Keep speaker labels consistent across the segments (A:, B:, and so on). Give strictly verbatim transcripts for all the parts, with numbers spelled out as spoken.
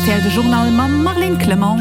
A: Rtl de Journal mam Marlène Clement.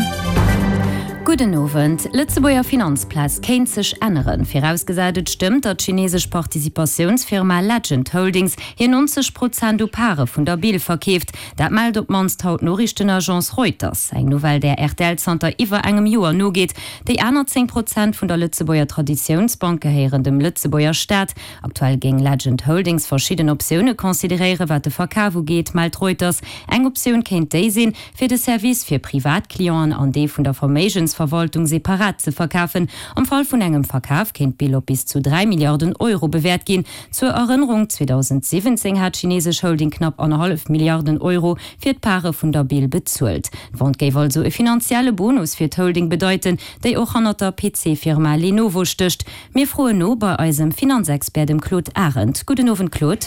B: Gudden Owend. Lëtzebuerger Finanzplaz kéint sech änneren. Virausgesat et stëmmt, datt d'chinesesch Participatiounsfirma Legend Holdings hir nonzeg Prozent u Pare vun der Bil verkeeft. Dat mellt op d'mannst haut d'Noriichtenagence Reuters. Eng Nouvelle, där rtl zanter iwwer engem Joer nogeet. Déi aner zéng Prozent vun der Lëtzebuerger Traditiounsbank gehéieren dem Lëtzebuerger Staat. Aktuell géing Legend Holdings verschidden Optioune consideréieren, wat de Verkaf ugeet, mellt Reuters. Eng Optioun kéint déi sinn, fir de Service fir Privatclienten an dee vun der Verméigensverwaltung separat ze verkafen. Am Fall vun engem Verkaf kéint d'Bill op bis zu dräi Milliarden Euro bewäert ginn. Zur Erënnerung, zweedausendsiwwenzéng hat d'chinesesch Holding knapp annerhallef Milliarden Euro fir d'Pare vun der Bill bezuelt. D'Vente géif also e finanzielle Bonus fir d'Holding bedeiten, déi och hannert der P C-Firma Lenovo stécht. Mir froen no bei eisem Finanzexpert, dem Claude Arend. Gudden Owend, Claude.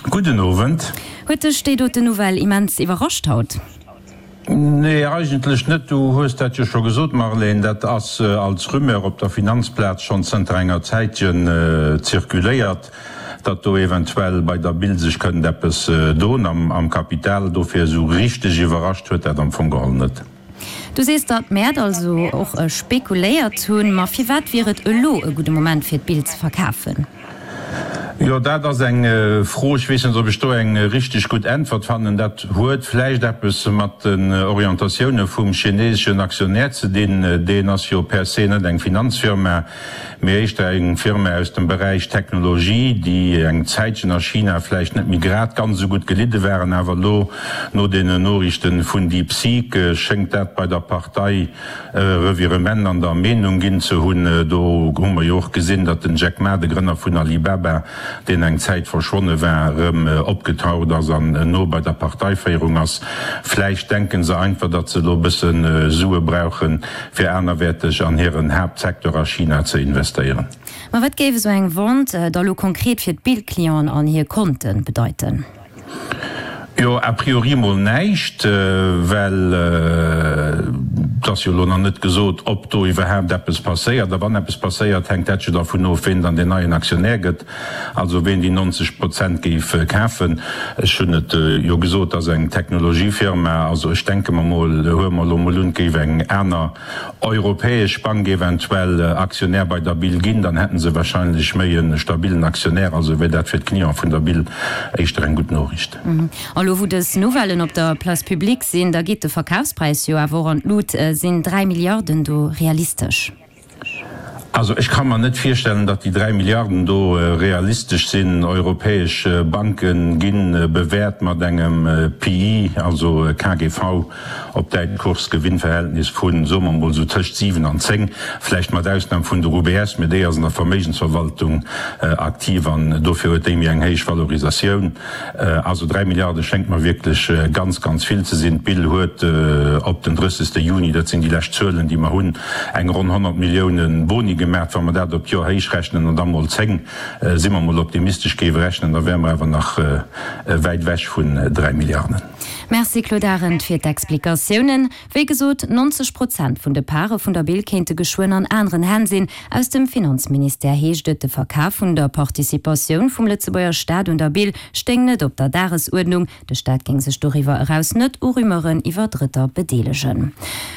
C: Gudden Owend.
B: Huet dech déi doten Nouvelle immens iwwerrascht haut?
C: Nee, eigentlech net. Du hues dat jo scho gesot, Marlène. Dat ass als Rumeur op der Finanzplaz schonn zënter enger Zäitchen zirkuléiert, datt do eventuell bei der Bil sech kënnt eppes doen am Kapital. Dofir esou richteg iwwerrascht huet dat am Fong geholl net.
B: Du sees, datt d'Mäert also och spekuléiert hunn. Ma firwat wier et elo e gudde Moment fir d'Bill ze verkafen?
C: Jo, dat ass eng Fro. Ech weess net, ob ech do eng richteg gutt Äntwert fannen. Dat huet vläicht eppes mat den Orientatioune vum chineseschen Aktionär ze dinn. Deen ass jo per se net eng Finanzfirma, mee éischter eng Firma aus dem Beräich Technologie, déi eng Zäitchen a China vläicht net méi grad ganz esou gutt gelidde waren. Awer elo no deenen Noriichten vun DeepSeek schéngt dat bei der Partei e Revirement an der Meenung ginn ze hunn. Do hu mer jo och gesinn, datt den Jack Ma, de Grënner vun Alibaba, deen eng Zäit verschwonne war, erëm opgetaucht ass an no bei der Parteiféierung ass. Vläicht denke se einfach, datt se elo e bësse Sue brauchen, fir anerwäerteg an hiren Haaptsecteur a China ze investéieren.
B: Ma wat géif esou eng Vente da lo konkret fir d'Bill-Clienten an hir Konte bedeiten?
C: Jo, a priori mol näischt, well et ass jo elo nach net gesot, ob do iwwerhaapt eppes passéiert. A wann eppes passéiert, hänkt dat jo dervun of, ween dann deen neien Aktionär gëtt, also ween déi neunzeg Prozent géif kafen. Ech hunn et jo gesot, et ass eng Technologiefirma. Also ech denke mer mol, huele mer elo mol un, et géif eng aner europäesch Bank eventuell Aktionär bei der Bil ginn, dann hätte se wahrscheinlech méi e stabilen Aktionär. Also wär dat fir d'Cliente vun der Bil éischter eng gutt Noriicht.
B: A lo wou dës Nouvellen op der Place publique sinn, da geet de Verkafspräis jo awer och an d'Lut. Sinn dräi Milliarden do realistesch?
C: Also ech ka mer net virstellen, datt déi dräi Milliarden do realistesch sinn. Europäesch Banke gi bewäert mat engem P E, also K G V op Däitsch, Kurs-Gewinn-Verhältnis vu, soe mer emol, esou tëscht siwen an zéng, vläicht mat Ausnam vun der U B S, mee déi ass an der Verméigensverwaltung aktiv an dofir huet déi méi eng héich Valorisatioun. Also dräi Milliarde schéngt mer wierklech ganz, ganz vill ze sinn. D'Bill huet op den drëssegste Juni, dat sinn déi lescht Zuelen, déi mer hunn, eng ronn honnert Millioune Boni gemaach. Wa mer dat op d'Joer héichrechnen an da mol zéng, si mer mol optimistesch, géife rechnen, da wäre mer awer nach wäit ewech vun dräi Milliarden.
B: Merci Claude Arend fir d'Explikatiounen. Wéi gesot, neunzeg Prozent vun de Pare vun der Bil kéinte geschwënn an aneren Hänn sinn. Aus dem Finanzministère heescht et, de Verkaf vun der Participatioun vum Lëtzebuerger Staat un der Bil stéing net op der Dagesuerdnung. De Staat géing sech doriwwer eraus net u Rumeuren iwwer Drëtter bedeelegen.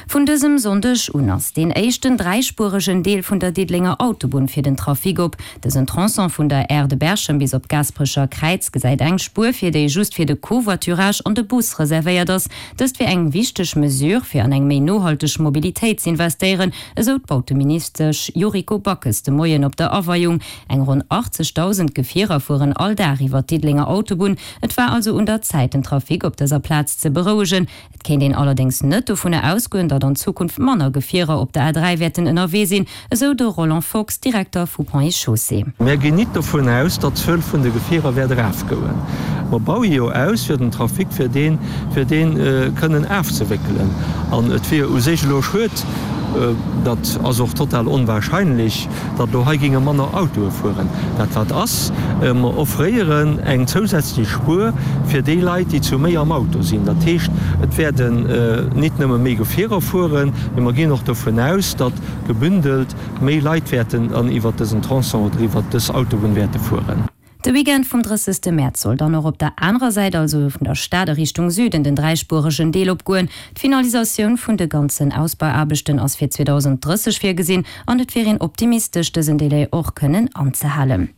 B: Vun dësem Sonndeg un ass deen éischten dräispueregen Deel vun der Diddelenger Autobunn fir den Trafic op. Dësen Tronçon vun der Aire de Berchem bis op d'Gaasperecher Kräiz gesäit eng Spuer vir, déi just fir de Covoiturage an de Bus reservéiert ass. Dëst wier eng wichteg Mesure fir an eng méi nohalteg Mobilitéit z'investéieren, esou d'Bauteministesch Yuriko Backes de Moien op der Aweiung. Eng ronn achtzegdausend Gefierer fueren all Dag iwwer d'Diddelenger Autobunn. Et war also un der Zäit, den Trafic op dëser Plaz ze berouegen. Et kéint een allerdéngs net dovunner ausgoen, datt an Zukunft manner Gefierer op der A dräi wäerten ënnerwee sinn, esou de Roland Fox, Direkter vu Ponts et Chaussées.
D: Mär ginn nit dovun aus, datt d'Zuel vun de Gefierer wäert erafgoen. Mer baue jo aus fir den Trafic, fir deen, fir deen kënnen afzewéckelen. An et wier u sech elo schued, dat ass och total onwahrscheinlech, datt elo hei géinge manner Autoe fueren. Dat wat ass, mer offréieren eng zousätzlech Spuer fir déi Leit, déi zu méi am Auto sinn. Dat heescht, et wäerten nit nëmme méi Gefierer fueren, mee mer ginn och dovun aus, datt gebündelt méi Leit wäerten dann iwwert dësen Tronçon oder iwwert dës Autobunn wäerte fueren.
B: De Weekend vum drëssegste Mäerz soll dann och op der anerer Säit, also vun der Stad a Richtung Süden, den dräispueregen Deel opgoen. D'Finalisatioun vun de ganzen Ausbauaarbechten ass fir zweedausend drësseg virgesinn an et wier een optimistesch, dësen Delai och kënnen anzehalen.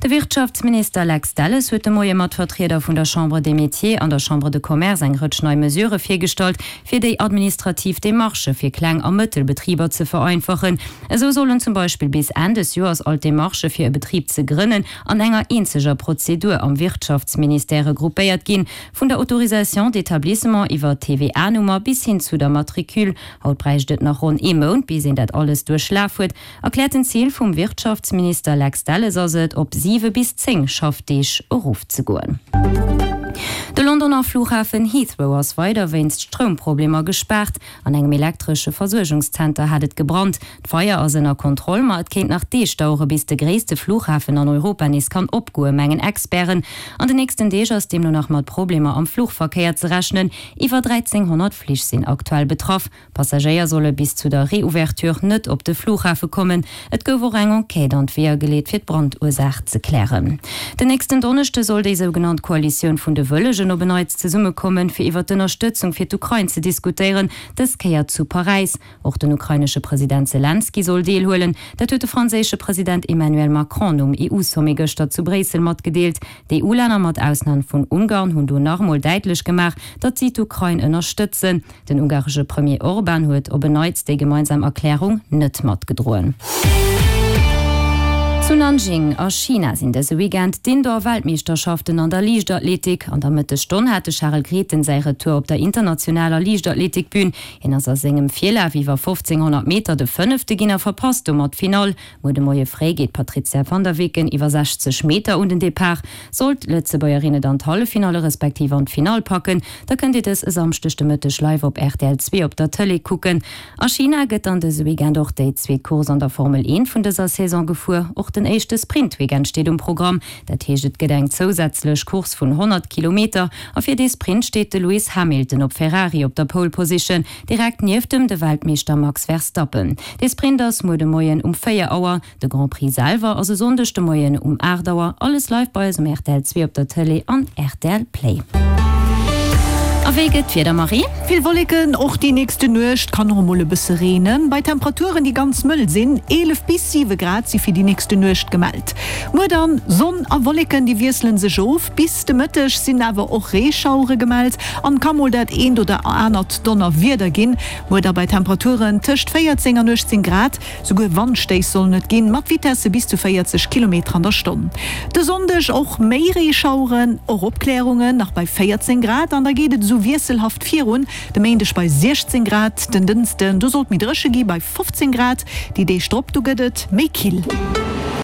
B: De Wirtschaftsminister Lex Delles huet de Moie mat Vertrieder vun der Chambre des Métiers an der Chambre de Commerce eng Rëtsch nei Mesurë virgestallt, fir déi administrativ Demarchë fir Kleng a Mëttelbetriber ze vereinfachen. Esou sollen zum Beispill bis Enn des Joers all d'Demarchë fir e Betrib ze grënnen an enger eenzeger Prozedur am Wirtschaftsministère regroupéiert ginn, vun der Autorisation d'établissement iwwer d'T V A-Nummer bis hin zu der Matricule. Haut bräicht et nach ronn ee Mount, bis een dat alles duerchlaf huet. Erkläerten Zil vum Wirtschaftsminister Lex Delles ass et, op siwe bis zéng Schaffdeeg erofzegoen. De Londoner Flughafen Heathrow ass weider wéinst Stroumproblemer gespaart. An engem elektresche Versuergungszenter hat et gebrannt. D'Feier ass ënner Kontroll, ma et kéint nach Deeg dauere bis de gréisste Flughafen an Europa nees kann opgoen, mengen Experten. An den nächsten Deeg ass deemno nach mat Problemer am Fluchverkéier ze rechnen. Iwwer dräizénghonnert Flich sinn aktuell betraff. Passagéier solle bis zu der Reouverture net op de Flughafe kommen. Et gouf och eng Enquête an d'Weeër geleet fir d'Brandursaach ze klären. Den nächsten Donneschde soll déi sougenannt Koalitioun vun de Wëllegen op en Neits zesummekommen, fir iwwer d'Ënnerstëtzung fir d'Ukrain ze diskutéieren, dës Kéier zu Paräis. Och den ukrainesche President Selenskyj soll deelhuelen. Dat huet de franséische President Emmanuel Macron nom E U-Sommet gëschter zu Bréissel matgedeelt. D'E U-Länner mat Ausnam vun Ungarn hunn do nach emol däitlech gemaach, datt si d'Ukrain ënnerstëtzen. Den ungaresche Premier Orban huet op en Neits déi gemeinsam Erklärung net matgedroen. Zu Nanjing a China sinn dëse Weekend d'Indoor-Weltmeeschterschaften an der Liichtathletik. An der Mëttesstonn hat de Charel Grethen säi Retour op der internationaler Liichtathletikbün. Hien ass a sengem Virlaf iwwer fofzénghonnert Meter de Fënnefte ginn a verpasst domat d'Finall. Muer de Moie fréi geet d'Patrizia van der Weken iwwer sechzeg Meter un den Depart. Sollt d'Lëtzebuergerin et an d'Halleffinalle respektiv an d'Finall packen, da kënnt Dir dës e Samschdeg de Mëtteg live op R T L zwee op der Tëlee kucken. A China gëtt dann dëse Weekend och déi zweet Course an der Formel eent vun dëser Saison gefuer. Och den éischte Sprint-Weekend steet um Programm. Dat heescht, et gëtt eng zousätzlech Course vun honnert Kilometer a fir dee Sprint steet de Lewis Hamilton op Ferrari op der Pole Position, direkt nieft em de Weltmeeschter Max Verstappen. De Sprint ass muer de Moien um véier Auer, de Grand Prix selwer ass e Sonndeg de Moien um aacht Auer. Alles live bei eis um R T L zwee op der Tëlee an R T L Play. A wéi gëtt d'Wieder, Marie?
A: Vill Wolleken, och déi nächste Nuecht kann och emol e bësse reenen. Bei Temperaturen, déi ganz mëll sinn, eelef bis siwe Grad si fir déi nächste Nuecht gemellt. Muer dann, Sonn a Wolleken, déi wiessele sech of. Bis de Mëtteg sinn awer och Reeschauere gemellt an ka mol dat eent oder anert Donnerwieder ginn. Muer da bei Temperaturen tëscht véierzéng an uechtzéng Grad, souguer Wandstéiss sollen et ginn, mat Vitesse bis zu véierzeg Kilometer an der Stonn. De Sonndeg och méi Reeschaueren, och Opklärungen, nach bei véierzéng Grad an da geet et esou wiesselhaft virun, de Méindeg bei siechzéng Grad, den Dënschden, do soll et méi dréche gi bei fofzéng Grad, déi Deeg drop, do gëtt et méi kill.